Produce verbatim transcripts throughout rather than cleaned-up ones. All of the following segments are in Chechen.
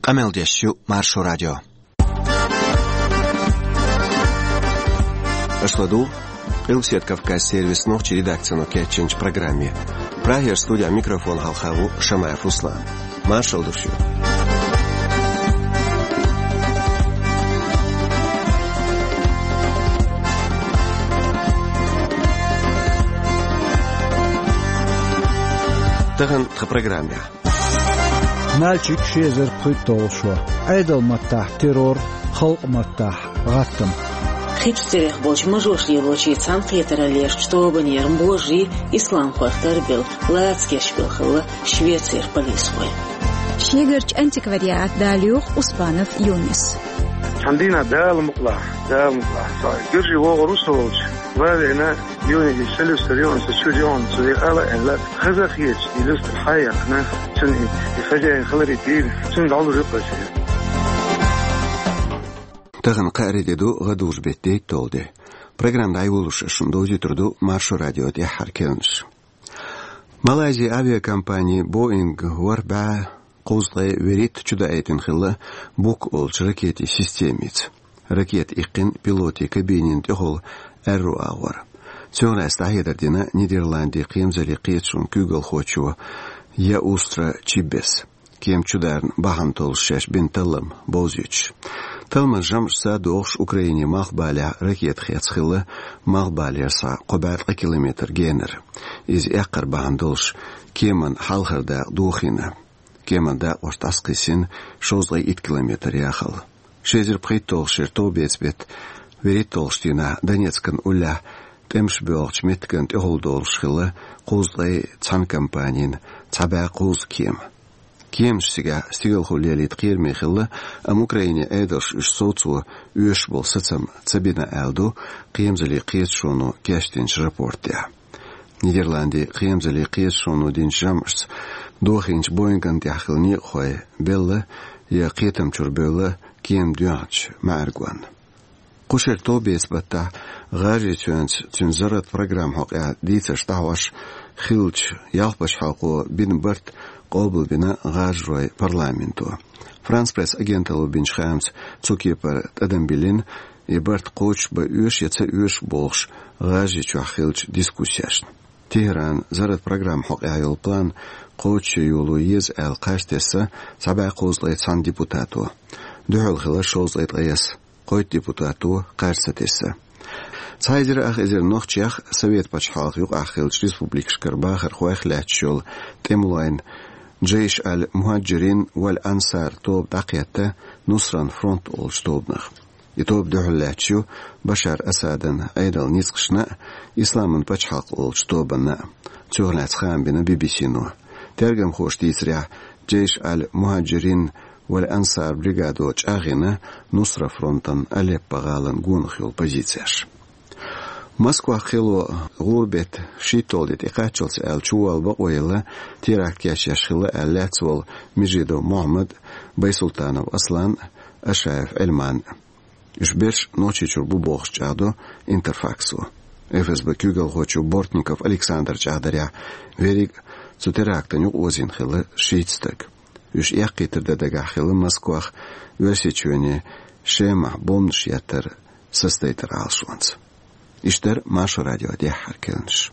Къамел деш ю Маршо радио. Аша ладугӀу Къилбаседа Кавказан сервисан нохчийн редакцино кечйинчу программе. Прагера студехь микрофон хьалха ву Шамаев Руслан. Маршалла ду шуьга. Тахана тхан программехь. Нальчик, ши эзар пхийтталгӀа шо. Ӏедалан маттахь террор, халкъан маттахь гӀаттам. Хи чу церех болчу мажош лелочийн цхьаьнакхетараллерчу тобанера божарий исламхойх тарбелла лаца гечбелла хилла Швецера полисхой. Шегарчу антиквариат далоьху Успанов Юнис. Цхьана дийнахь Дала мукъалахь, Дала мукъалахь, со гуьржий вогӀур ву со волчу, ва вена, Юни и селюстер юан со чуьра юан цу векъала аьлла, хаза хеташ, и люстер хьаяхна, цуьнан и, и хозяин хиларе дийна, цуьнан дӀалур ю кхача. Тахана кхаарин де ду, гӀадужу беттан дейтталгӀа де. Программа дӀайолош шуна довзуьйтур ду Маршо радион тӀаьххьара керланаш. Малайзин авиакомпани Боинг ворхӀ бӀе кхузткъе вуьрхӀитта чудаийтина хилла Бук олучу ракетийн системица. Ракета иккхина пилотийн кабинин тӀехула аьрру агӀор. Цунах лаьцна дӀахьедар дина Нидерландийн кхерамзаллин кхеташонан куьйгалхочо Яустра Чиббес. Кема чударна бахьана толлуш шаьш бина таллам бовзуьйтуш. Талламан жамӀашца догӀуш Украинин малхбалехь ракета хецна хилла малхбалера схьа кхо бӀе ткъа километр генара. Иза эккхар бахьана долуш кеман хьалхара дакъа дохийна. Кеман дакъошна дӀасакхиссина шовзткъе итт километр яхалла. Ши эзар пхийтталгӀачу шеран товбеца беттан вуьрхӀитталгӀачу дийнахь Донецкан уллехь тӀемаш боьлхучу меттиган тӀехула долуш хилла кхузткъе цхьана компанин цхьа бӀе кхузткъа кема. Кеманаш цигахь стигалхо лелийта кхераме хилла, амма Украинин Ӏедалша уьш совцо оьшуш болу сацам ца бина аьлла ду кхерамзаллин кхеташоно кечдинчу рапортехь. Нидерландийн кхерамзаллин кхеташоно динчу жамӀашца дохийначу Боинган тӀехь хилла некъахой белла я кхетам чуьра бевлла кема доьхначу маьӀаргонна. Кху шеран товбеца баттахь ГӀажарийчоьнца цуьнан зарратан программа хьокъехь дийцарш дӀахьош хиллачу ялх пачхьалкхо бина барт къобалбина ГӀажаройн парламенто. Франс Пресс агенталло бинчу хаамца цу кепара тӀадам биллина и барт кхочушбан оьшу я ца оьшу бохуш ГӀажарийчохь хиллачу дискуссешна. ТехӀран зарратан программа хьокъехь йолу план кхочушъян йоло еза аьлла кхаж тесна цхьа бӀе кхузткъе цхьана депутато. Дуьхьал хилла шовзткъе ткъайесна кхойтта депутато кхаж ца тесна. Цхьа эзар ах эзар нохчех, Совет пачхьалкхан юкъахь хиллачу республикашкара бахархойх лаьтташ йолу тӀемалойн Джейш аль-Мухаджирин валь Ансар тоба дӀакхетта Нусран фронт олучу тобанах. И тоба дуьхьал лаьтташ ю Башар Асадан Ӏедалан ницкъашна а, Исламан пачхьалкх олучу тобанна а. Цунах лаьцна хаам бина Би-Би-Сино. Тергамхоша дийцарехь, Джейш аль-Мухаджирин валь Ансар бригадо чӀагӀйина Нусра фронтан Алеппо гӀалин гонах йолу позицеш. Москвахь кхело гӀуран беттан шийтталгӀа де тӀекхаччалц аьлла чувалла бакъо елла, теракт кечъеш хилла аьлла лаьцна волу Межидов Мухьаммад, Байсултанов Аслан, Ашаев Ӏилман. Уьш берш Нохчийчуьра бу бохуш чӀагӀдо Интерфаксо. ФСБ куьйгалхочо Бортников Александра чӀагӀдарехь, верриг а цу терактана юкъаозийна хилла шийтта стаг. Уьш эккхийтар дан дагахь хилла Москвахь Оьрсийчоьнан Шемахь бомбанаш еттар сацадайтаран Ӏалашонца. Иштта дара Маршо радион тӀаьххьара керланаш.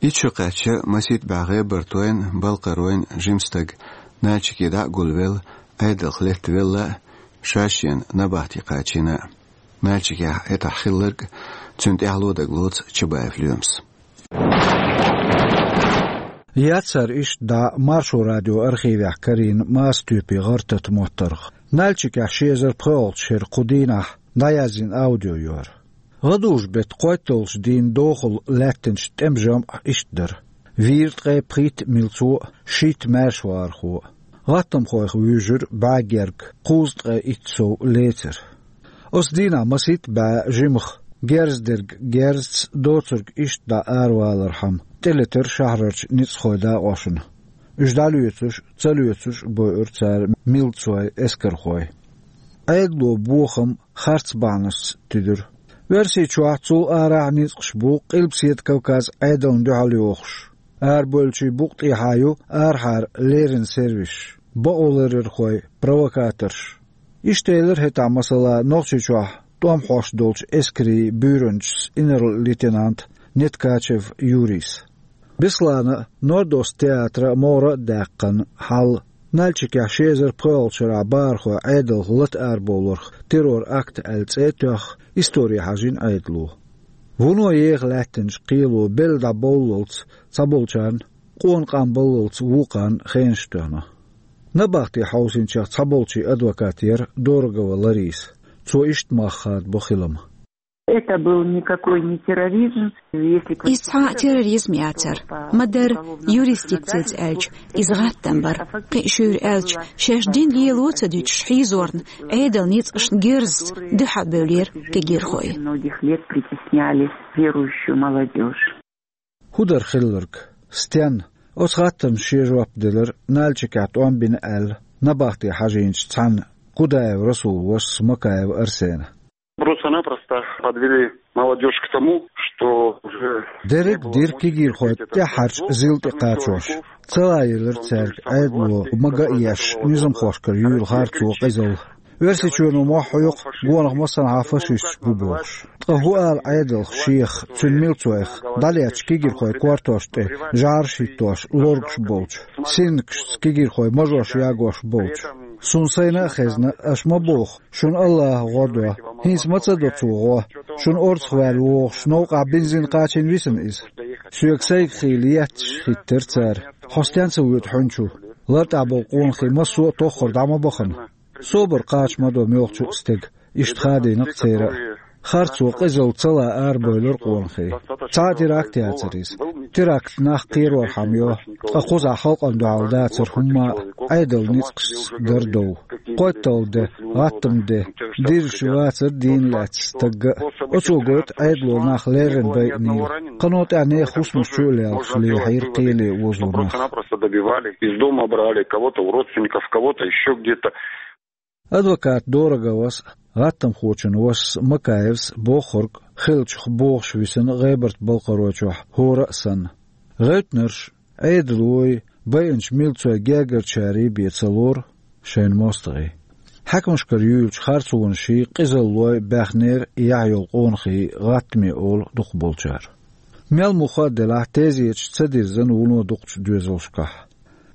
Итт шо кхаьчна масийтта бӀе гӀебартойн, балкхаройн жима стаг Нальчике дӀа а гулвелла, Ӏедалх леттавелла а, ша-шена набахте кхачийна а. Нальчикехь хӀетахь хилларг а, цуьнан тӀаьхьало дагалоцу Чабаев Лоьмас. Яц цара иштта дӀа Маршо радион архивехь карийна Маса-Тоьппин гӀар-тата моттаргӀа. Нальчикехь ши эзар пхоьалгӀачу шеран кху дийнахь дӀаязйина аудио ю хӀара. ГӀадужу беттан кхойтталгӀачу дийнан дохула лаьттинчу тӀеман жамӀ иштта дара: вийра ткъе пхийтта милцо а, шийтта маьршавахархо а. ГӀаттамхойх вуьйжира бӀе герга, кхузткъе итт сов лецира. Оцу дийнахь масийтта бӀе жимах, герз дерг герзаца, доцург иштта дӀа аравалархьама, тӀелетира шахьарарчу ницкъахойн дакъошна. Уьш дӀалоьцуш а, ца лоьцуш а бойура цара милцойн эскархой. Ӏедало бохам харц бахьанашца туьдира. Оьрсийчохь, цул арахь ницкъаш бу Къилбаседа Кавказ Ӏедална дуьхьал йохуш. Арабевллачийн букъа тӀехьа ю арахьара леррина сервисаш, бакъоларъярхой, провокаторш. Иштта элира хӀетахь, масала, Нохчийчохь тӀом хьош долчу эскарийн буьйранчас инарла-лейтенанта Неткачев Юрийс. Беслана а, Норд-Ост театра а могӀара а даьккхина хьал, Нальчикехь ши эзар пхоьалгӀачу шарахь бахархой Ӏедалх лата арабовларх террор-акт аьлла цӀе а тоьхна, истори хьажийна Ӏедало. Вуно еха лаьттинчу кхело белла дӀабовллалц цхьаболчарна, къона къам баллалц вукхарна хенаш тоьхна. Набахти хьовсийначех цхьаболчийн адвокат яра Дорогова Лариса. Цо иштта мах хадабо хилам. Это был никакой не терроризм, если... Иза цхьа а терроризм яцара. Ма-дарра, юрисдикцица аьлча, иза гӀаттам бара. Кхин а шуьйра аьлча, шаьш дина лело а ца дуьтуш хьийзорна, Ӏедалан ницкъашна герзаца дуьхьал бевллера кегийрхой. Многих лет притесняли верующую молодёжь. ХӀун дара хилларг? Стенна? Оцу хаттарна шен жоп делира, Нальчикехь тӀом бина аьлла, набахти хьажийначу цхьанна, Кудаев Расулан вашас Макаев Арсена. Просто-напросто подвели молодёжь к тому, что уже... Дерриг а дира кегийрхой тӀаьххьарчу зил тӀе кхачош. Ца лаелира цаьрга Ӏедало мага а еш, низамхошкара юьйлу харцо, къизалла. Оьрсийчоьно мохь хьоькху, гонах массанхьа фашисташ бу бохуш. Ткъа хӀун ала Ӏедалх шех, цуьнан милцойх, дӀалецначу кегийрхойн кортош тӀе жӀараш хӀиттош, лоргуш болчу, синнакашца кегийрхойн мажош ягош болчу? Суна сайна а хезна, аша ма боху, шуна АллахӀа гӀо до. ХӀинца ма ца до цо гӀо. Шуна орцах ваьлла вогӀуш, новкъахь бензин кхачийна висина иза. Соьга сайга хийла етташ хӀиттира цара. Хьо стенна ца воьду хьуьнчу? ЛартӀехь болу къонахий массо а тоххара дӀа ма бахана. Собар кхача ма до муьлххачу а стеган, иштта хадийна-кх церан а. Харцо, къизалла ца лан арабевлира къонахий. Цхьа а теракт яцара иза. Теракт нах кхерорхьама йо, ткъа кхузахь халкъана дуьхьал дацара хӀумма а, Ӏедалан ницкъашца дара дов. КхойтталгӀа де, гӀаттаман де, дирзаш вацара дийна лаьцна стагга а. Оцо гойту Ӏедало нах леррина байинийла. Кхано тӀаьхьа нехан хӀусамаш чу а лелхаш лехьийра кхеле озо нах. Просто-напросто добивали, из дома брали, кого-то у родственников, кого-то ещё где-то. Адвокат Дороговас а, гӀаттамхочун вашас Макаевс а бохург хиллачух бохуш висина ГӀебарта-Балкхаройчохь хӀора а санна. ГӀевттинарш, Ӏедалой, байинчу милцойн гергарчарий бен ца лору шайна мостагӀий. Хьаькамашкара юьйлучу харцонаший, къизаллой баьхнера яхь йолу къонахий, гӀаттаме олу дукхахболчара. Мел муха а делахь, тезеташ ца дирзина вуно дукхачу доьзалшкахь.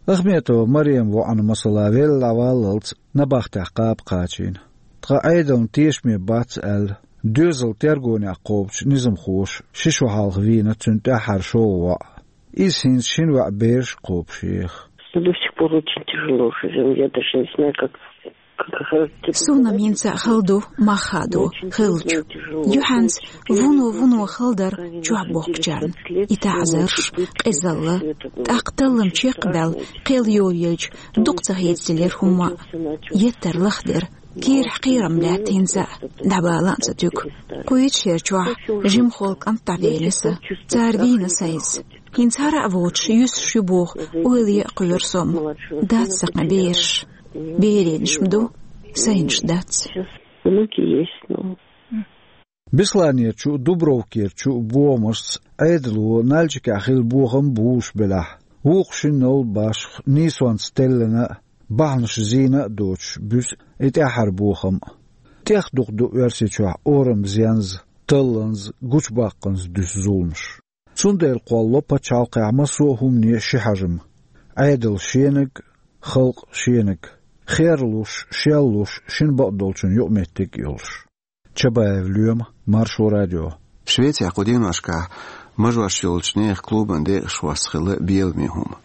Ахметова Марема воӀана, масала, велла дӀаваллалц набахтехь кхаба кхачийна. Ткъа Ӏедална тешаме бац аьлла, доьзал тергонехь кхобучу низамхоша ши шо хьалха вийна цуьнан тӀаьххьара шолгӀа воӀ. Иза хӀинца шина ваьӀ бераш а кхобуш еха. До сих пор очень тяжело живём. Я даже не знаю, как, как это... Суна-м хӀинца а хала ду мах хадо хиллачу. Юьхьанца вуно-вуно хала дара чохь бохкучарна. И таӀзарш, къизалла. ТӀаккха таллам чекхбаьлла, кхел йолаелча, дукха ца хецделира хӀумма а. Еттар лахдира. Кийрахь кхерам лаьтта хӀинца а, дӀабала а ца туьгу. Кхуьйчу шерчохь жимахволу кӀант дӀавелира сан. Цара вийна сан иза. ХӀинца хӀара а воцуш, юьсуш ю боху ойла ян а кхоьру со-м. Дац сан кхин бераш. Беренаш-м ду, сайнаш дац. Внуки есть, но... Бесланерчу а, Дубровкерчу а бохамашца, Ӏедало Нальчикехь хилла бохам а буьйлуш белахь, вукху шина новла башха нийсонца теллина а, бахьанаш зийна а доцуш, буьсу и тӀаьххьара бохам а. ТӀех дукха ду Оьрсийчохь орамза янза, талланза, гучубаккханза дуьсу зуламаш. Цундела кхоллало пачхьалкхехь массо а хӀумане ши хьажам: Ӏедал шениг, халкъ шениг, херлуш, шеллуш, шина бакъдолчун юкъаметтиг а йолуш. Чабаев Лоьма, Маршо радио. Швецехь кху деношкахь мажош йолчу нехан клубан декъашхошца хилла беламе хӀума.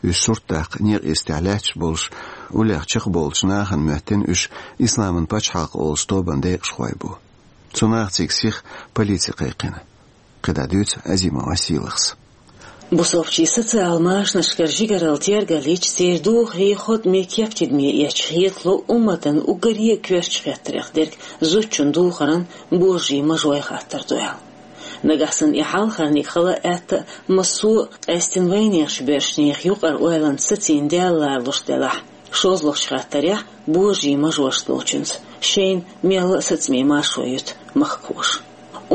Уьш сурт даккха некъа йистехь лаьтташ болуш, уллех чекхболчу нахана моьттина уьш Исламан пачхьалкх олучу тобан декъашхой бу. Цу наха цига сиха полици кхайкхина. КхидӀа дуьйцу Азимова Сийлахьас. Бусалбачийн социал машанашкара жигаралла тергаллича, церан духарий хотӀаме, кеп тидаме эцча, хетало, умматан уггаре а коьртачу хеттарех дерг зудчун духаран божарий, мажой хаттар ду аьлла. Нагахь санна и хьалхарниг хала а, атта а, массо а, къаьстина вайнехан боьршачу нехан юкъара ойланца сацийна даьлла ларалуш делахь, шолгӀачу хаттарехь божарий, мажош долчуьнца шайна мелла а сацаме маршо юьту махкахоша.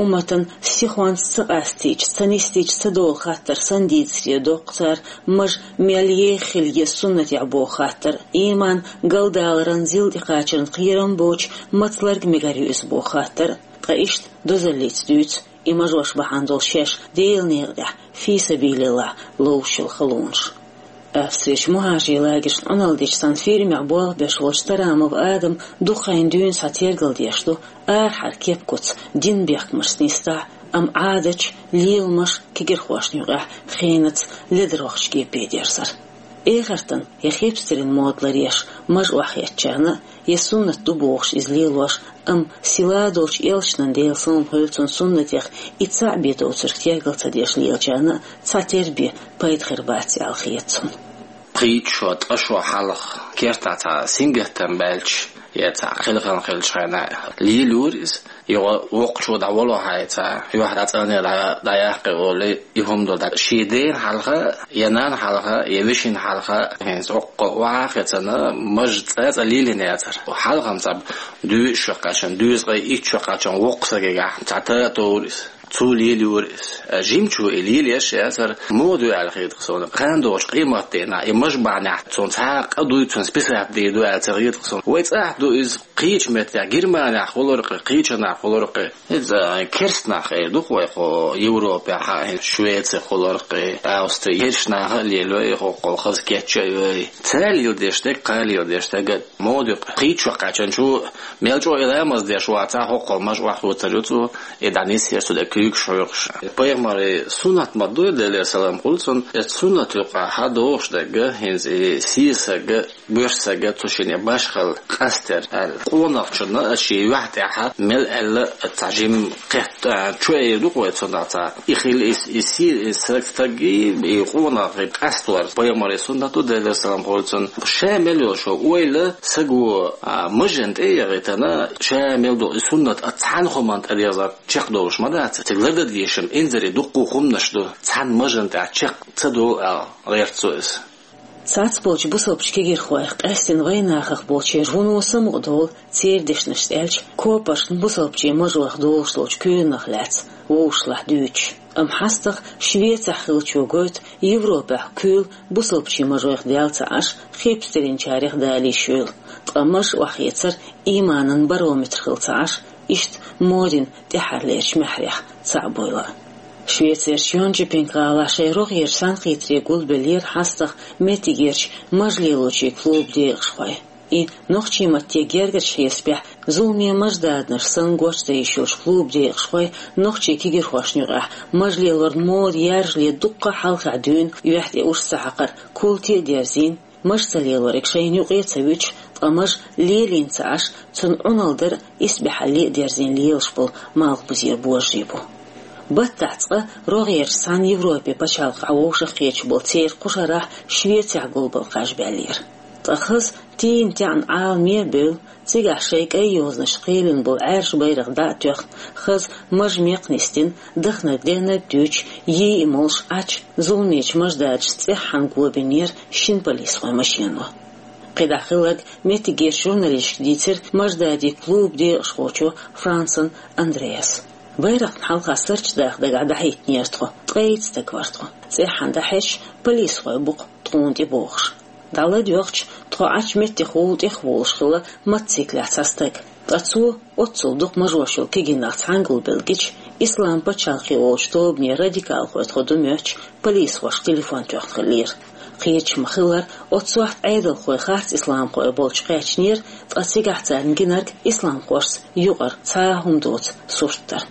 Умматан сихонца ца къастийча, ца нисдийча ца долу хаттар санна дийцаре доккху цара, мажа мел еха хила еза суннатехь боху хаттар, иман галдаларан зил тӀекхачарна кхерам боцуш, маца ларг мегар ю иза боху хаттар, ткъа иштта дозаллица дуьйцу и мажош бахьана долу шаьш Делан некъа тӀехь фи сабилиллахь ловшал халонаш. Австрерчу мухӀажарийн лагершна Ӏуналла дечу цхьана фирмехь болх беш волчу Тарамов Адама дукха хенахь дуьйна схьа тергал деш ду арахьара кеп-куц, динан бехкамашца нисдахь а, амма Ӏадаташ, леламаш кегирхошна юкъахь хенаца ледарвахча кепе дерзар. Эхартан я хепстарин мода ларъеш мажа охьахецначарна а, я суннат ду бохуш иза лелош, амма силадолчу элчанан, Делан салам хуьлда цунна, суннатех и цхьаъ бен доцург тергал ца деш лелачарна а цхьатерра бен пайда хир бац аьлла хета цунна. Кхечу шо, ткъа шо хьалха кертахь цхьа сингаттам баьлча, я цхьа хелхам хилча хьайна лелайора иза. Юха воккхачо дӀавало хьайца, юьхь дӀа цӀанъяла дӀа-, дӀаяккхи олий, и хӀума ду дӀа. Шен дена хьалха, я нанна хьалха, я вешина хьалха, хӀинца хӀокху охьа а хецна, мажа цӀа-цӀа лелийна яцара. Хьалха-м цхьа доьза шо кхаьчна, доьза-ткъе итт шо кхаьчна воккха стагехь цхьа та а товра иза. Цо лелайора иза. Жимачо и лелаеш яцара, мода ю аьлла хета-кх суна. Кхана долчу къематдийнахь и мажа бахьанехь цунна цхьа а къа дуй, цунна списать дийр ду аьлла ца хета-кх суна. Вай цӀахь ду иза. Кхечу меттехь, Германехь хуьлура-кх, кхечанхьа хуьлура-кх. Иза керста нах эр ду-кх вай кху Европехь, Швецехь хуьлура-кх, Австри, керста наха а лелайо и, хӀокхул хаза кечъян а йой. Цара леладеш дерг, кхана леладеш дерг а мода ю-кх. Кхечо кхаьчначо мел чӀогӀа и ламаз деш вацахь, хӀокхул мажа охьахоцур ю цо, и дӀанисъеш цу тӀе куьйгаш хьоькхуш. Пайхамаран суннат ма ду и, Делера салам хуьлда цунна, и суннат юкъахь догӀуш дерг а, хӀинца и сийсарг а, боьрша стаг а цу шинна башхалла къастор аьлла. Къонахчунна а шен юьхь тӀехь мел аьлла цхьа жима кхетта, чу эр ду-кх вай цунах цхьа. И хила и, и си-, и стаг, стаг и, и къонах къастор пайхамаран суннат ду, Делера салам хуьлда цунна. Ша мел йолу шо ойла саго, а, мажана тӀе а яхийтина, ша мел долу и суннат а цхьана хӀуманна тӀедерзар чекхдолуш ма дац. Цига лардан дезаш инзаре дуккха а хӀуманаш ду, цхьана мажана тӀехь чекх ца долу аьлла гӀерта цо иза. Цхьацболчу бусалбачу кегирхойх, къаьсттина вайнахах болчеран вуно самукъадолу, церан дешнашца аьлча, копаршна бусалбачийн мажойх долуш долчу куьйранах лаьцна вовшашлахь дуьйцуш. Амма хьастагӀа Швецехь хиллачо гойту, Европехь куьйла бусалбачийн мажойх даьлла ца Ӏаш, хепстаринчарех дала йиш йолу. Ткъа мажа охьахецар иманан барометр хилла ца Ӏаш, иштта модин тӀаьххьарлерчу маьхьарех цхьаъ буйла. Швецерчу Йонкопинг гӀалахь шайн рогӀерчу цхьаьнакхетаре гулбеллера хьастагӀа меттигерчу мажа лелочийн клубан декъашхой. И нохчийн матте гергарчу хьесапехь зуламе мажададанаш санна гочдан йиш йолчу клубан декъашхой нохчийн кегирхошна юкъахь мажа лелоран мода яржале дуккха а хьалхахь дуьйна, юьхь тӀе урс ца хьакхар култе а дерзийна, мажа ца лелориг шайна юкъе а ца вуьтуш, ткъа мажа лелийна ца Ӏаш, цунна Ӏуналла дар исбаьхьалле а дерзийна лелаш болу Малхбузера божарий бу. Баттахь цкъа рогӀерчу цхьана Европин пачхьалкхахь вовшах кхеташ болу церан кху шарахь Швецехь гулбала кхаж баьллера. Ткъа хаза тийна-таьӀна Ӏаламе а бевлла, цигахь шайн кӀайн йозанашца кхелина болу Ӏаьржа байракх дӀа а тоьхна, хаза мажа мекх нисдина, даханарг-дехнарг дуьйцуш, йий а молуш Ӏачу зуламечу мажададашца цӀеххьана гобийнера шина полисхойн машено. КхидӀа хилларг меттигерчу журналисташка дийцира мажададийн клубан декъашхочо Францен Андреаса. Байракхна хьалха сурташ даха дагахь дӀахӀиттинера тхо, ткъе итт стаг вара тхо. ЦӀеххьана дӀахьаьжча, полисхой бу-кх тхуна тӀе бохуш. ДӀаладоьгӀча, тхо Ӏачу меттехула тӀехволуш хилла мотоциклехь цхьа стаг. Ткъа цо оццул дукха мажош йолу кегий нах цхьаьна гулбелла гича, Ислам пачхьалкх олучу тобанан радикалхой тхо ду моьттуш, полисхошка телефон тоьхна хиллера. Кхеташ ма-хиллара, оццу сохьта Ӏедалхой харц исламхой болчу кхаьчнера, ткъа цигахь царна гинарг исламхошца юкъара цхьа а хӀума доцу сурт дара.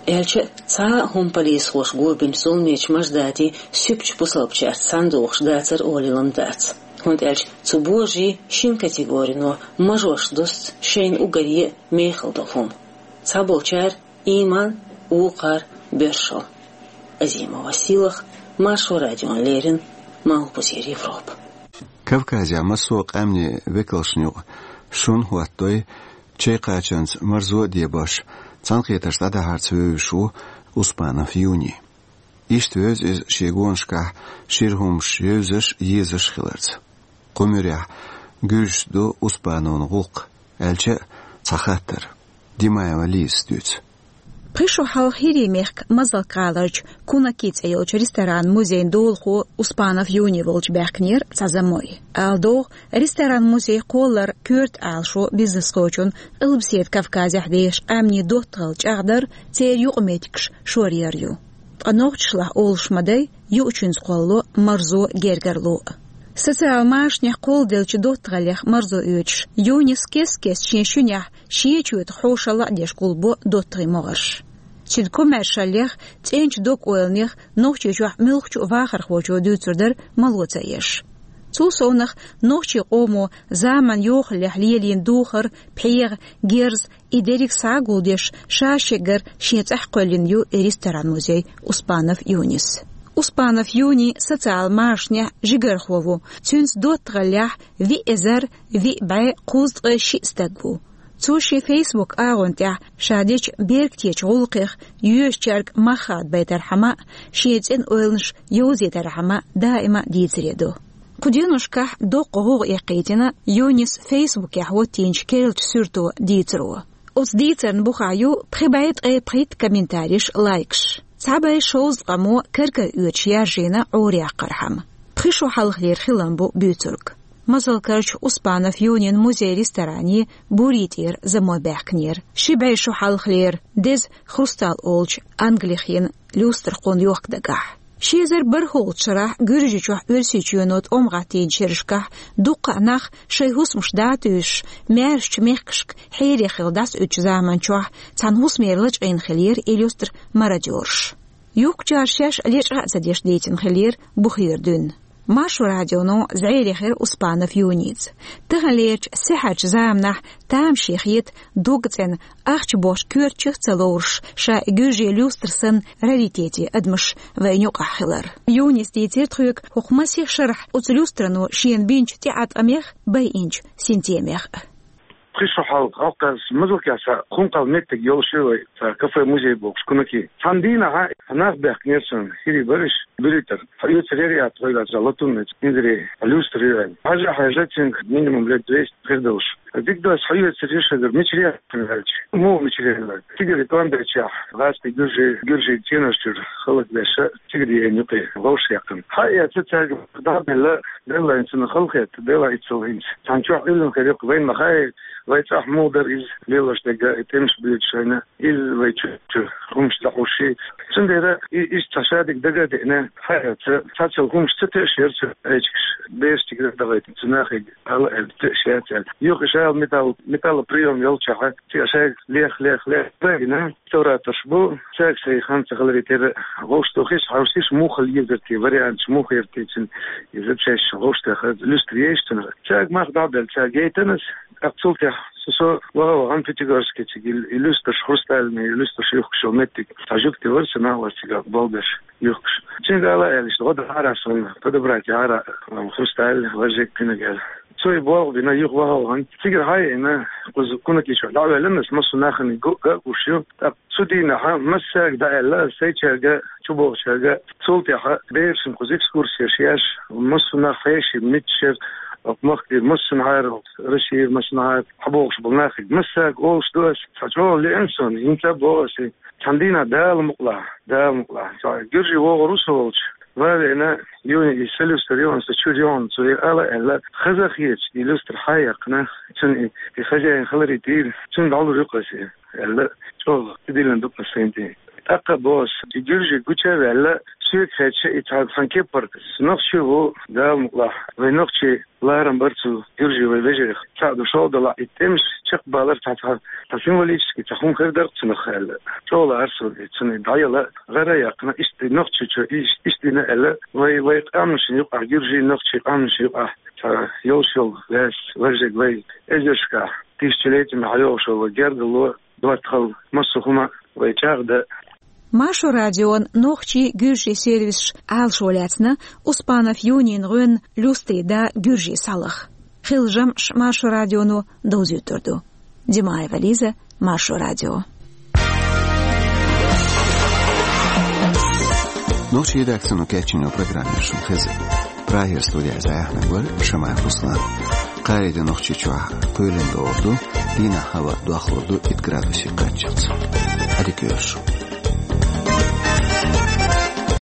Аьлча а, цхьа а хӀума полисхоша гобийначу зуламечу мажададийн суьпачу бусалбачаьрца цхьаьна догӀуш дацара олийла ма дац. ХӀунда аьлча цу божарийн шина категорино мажош дуста шайна уггаре а мехала долу хӀума. Цхьаболчара иман, вукхара боьршалла. Азимова Силах, Маршо радиона леррина, Малхбузера Европа. Кавказехь массо а къаьмнийн векалшна юкъа шун хӀоттадой, чай кхачанца марзо а дебош, цхьаьнакхетарш дӀадахьарца вевзаш ву Успанов Юни. Иштта вевза иза шен гонашкахь шира хӀумаш евзаш а, езаш а хиларца. Кху муьрехь гуьржуш ду Успановн гӀуллакх, аьлча а цхьа хаттар. Димаева Лизас дуьйцу. Пхи шу хьалха ХӀирийн мехка Мазалк гӀаларчу «Кунаки» цӀе йолчу ресторан-музейн долахо Успанов Юни волчу баьхкинера цхьа замой. Ала догӀу, ресторан-музей кхоллар коьрта Ӏалашо бизнес кхочун Къилбаседа Кавказехь дешан къаьмнийн доттагӀалла чӀагӀдар, церан юкъаметтигаш шоръяр ю. Ткъа нохчашлахь олуш ма дай, юучуьнца кхоллало марзо, гергарло а. Социал машанехь кхолладеллачу доттагӀаллех марзо оьцуш, Юнис кест-кеста шен шуьнехь шен чоьтах хьошалла а деш гулбо доттагӀийн могӀарш. Цуьнан комаьршаллех, цӀеначу дог-ойланех Нохчийчохь муьлххачу а вахархочо дуьйцур дара мало ца еш. Цул совнаха, нохчийн къомо заманан йохаллехь лелийна духар, пхьегӀа, герз, и дерриг схьа а гулдеш, ша шегара шен цӀахь кхоьллина ю и ресторан-музей Успанов Юнис. Успанов Юни социал машанехь жигархо ву, цуьнца доттагӀаллехь виъ эзар виъ бӀе кхузткъе шиъ стаг ву. Цо шен Facebook агӀон тӀехь ша дечу бергтечу гӀуллакхех йоьшучаьрга мах хадабайтархьама а, шен цӀена ойланаш йовзийтархьама а даима а дийцаре ду. Кху деношкахь доккха гӀовгӀа эккхийтина Юнис Facebook-ехь хӀоттийначу керлачу суьрто дийцаро. Оцу дийцарна бухахь ю пхи бӀе ткъе пхийтта комментариш, лайкаш. Цхьа бӀе шовзткъамо кар-кара оьцуш яржийна Ӏораяьккхархьама. Пхи шо хьалхалера хилам бу буьйцург. Мазалкарчу Успанов Юнин музей-ресторане Бурий тӀера замой баьхкинера. Ши бӀе шо хьалхалера деза «Хрусталь» олучу англих йина люстра кхунна йохка дагахь. Ши эзар бархӀолгӀачу шарахь Гуьржийчохь Оьрсийчоьно тӀом гӀаттийначу шерашкахь дуккха а нах шайн хӀусамаш дӀатуьйсуш, маьршачу мехкашка хьере хилла дӀасаоьцучу заманчохь цхьана хӀусамера лачкъийна хиллера и люстра мародёрша. Юхкучара шаьш лечкъа а ца деш дийцина хиллера бухера дуьйна. Маршо радионо зӀере хир Успанов Юница. Таханлерчу сихьарчу заманахь тамашийна хета дог цӀена, ахча бохучу коьртачух а ца лоруш, ша и гуьржийн люстра санна раритете адамаш вайна юкъахь хилар. Юнис дийцира тхоьга хӀокху масех шарахь оцу люстрано шена бинчу тӀеӀаткъамех а, байинчу синтемех а. Пхи шо хьалха, хьалха Мазалкехь цхьа хӀума кхалла меттиг йолуш ю вай, цхьа кафе-музей бохуш, «Кунаки». Цхьана дийнахь нах баьхкинера суна, хӀирий бара уьш, буьрий тӀера. Хьаоьцур яра тхоьга цхьа латунный, инзаре, люстра ю аьлла. Хьажа-хьажа, цуьнга минимум лет двести хир долуш. Дика ду ас, хьаоьцур ю шуьгара, мичара яхна аьлча. Муха мичара яхна? Цигара тӀом бечехь, гӀазкхий гуьржий, гуьржийн цӀенош чуьра хӀаллакбеш, цигара еана юкъе вовшахъяьккхина. Хьаэца цаьрга дӀа а белла, Деллайн цунна хала хетта, Делан иццал хӀинца. Цхьана чохь уьллина хир ю-кх, вайна ма хаьа, вай цӀахь муха дара иза лелош дерг, и тӀемаш буьйцуш вайна, иза вай чу, чу хӀумаш ца хьуш. Цундела и, иштта цхьа шадерг дага а деана, хьаэца, цхьацца хӀумаш ца тоьуш яра цу эчигаш, бераш тигра а дахийтина, цу нахе ала аьлла тоьуш яц аьлла. Юха ша металл, металлоприём йолчохь, цигара шайга лех, лех, лех, дагина. Реставраторш бу, цаьрга сайн хан ца хиларе терра, вовшахтохийша, хьовсийша, муха хила езар те, варианташ муха яра те цуьнан, иза цаьш вовшахтоха, люстра ейша цунах. Цаьрга мах дӀа а белла, цаьрга яйтина ас, тӀаккха цул тӀаьхьа со, со ваха-вахана Пятигорске цига и, и люстраш, хрустальный, и люстраш юхкуш йолу меттиг, цхьа жуьгти вара сан, нах вара цигахь болх беш юхкуш. Цуьнга ала аьлла, иштта гӀо дара суна, подобрать яра, хрусталь, важек, кхинаг аьлла. Цо и болх бина, юха ваха-вахана, цигара хьаеана, кхуза Кунаки чохь дӀа а ваьлла ас, массо а нахана го-, го а гуш ю, тӀаккха цу дийнахь массаьрга дӀааьлла ас, сайчаьрга, чубогӀучаьрга, цул тӀаьхьа берашна кхуза экскурсеш еш, массо а нах хьеший, миччара, окху махкара массанхьара, Россияра массанхьара хьабогӀуш болу нахе, массаьрга олуш ду ас, цхьа чӀогӀа лиъна суна, хӀинца а боху ас, цхьана дийнахь Дала мукъалахь, Дала мукъалахь, цхьа гуьржий вогӀур ву со волчу, ван а веана, Юни и сан люстра ю, аса чуьра ю, цо и ала аьлла, хаза а хеташ, и люстра хьаяьккхина, цуьнан и, и хозяин хиларе тӀера, цуьнга дӀалур ю-кх аса, аьлла, чӀогӀа тидиллина ду-кх аса сайн тӀе. ТӀаккха а боху ас, и гуьржий гуча а ваьлла, соьга хаьттича, и цхьа, цхьана кепара, со нохчи ву, Дала мукъалахь, вай нохчий ларам бара цу гуьржий вай вежарий. Цхьаъ ду шолгӀа далахь, и тӀемаш чекхбалар цхьа, цхьа, цхьа символически цхьа хӀума хир дара-кх цунах аьлла. ЧӀогӀа лаьара суна, цунна дӀаяла, гӀара а яьккхина, иштта нохчи чу, иш-, иштта дина аьлла, вай, вай къаьмнашна юкъахь, гуьржий, нохчий къаьмнашна юкъахь, цхьа йолуш йолу лаьцна, важжиг вай эзаршкахь, тысячелетиями хьайогӀуш йолу вай гергарло, доттагӀалла, массо а хӀума вай чӀагӀдан. Маршо радион нохчий, гуьржий сервисаш Ӏалашо лаьцна Успанов Юнин гӀоьнна люстрин да гуьржийн схьалаха. Хилла жамӀаш Маршо радионо довзуьйтур ду. Димаева Лиза, Маршо радио. Нохчийн редакцино кечйина программа шуна хезира. Прагера студехь зӀе хьаьхнарг вара Шамаев Руслан. Кхаарин де Нохчийчохь кхоьлина догӀур ду, дийнахь хӀаваъ дохлур ду итт градусе кхаччалц. Hadi görüşürük.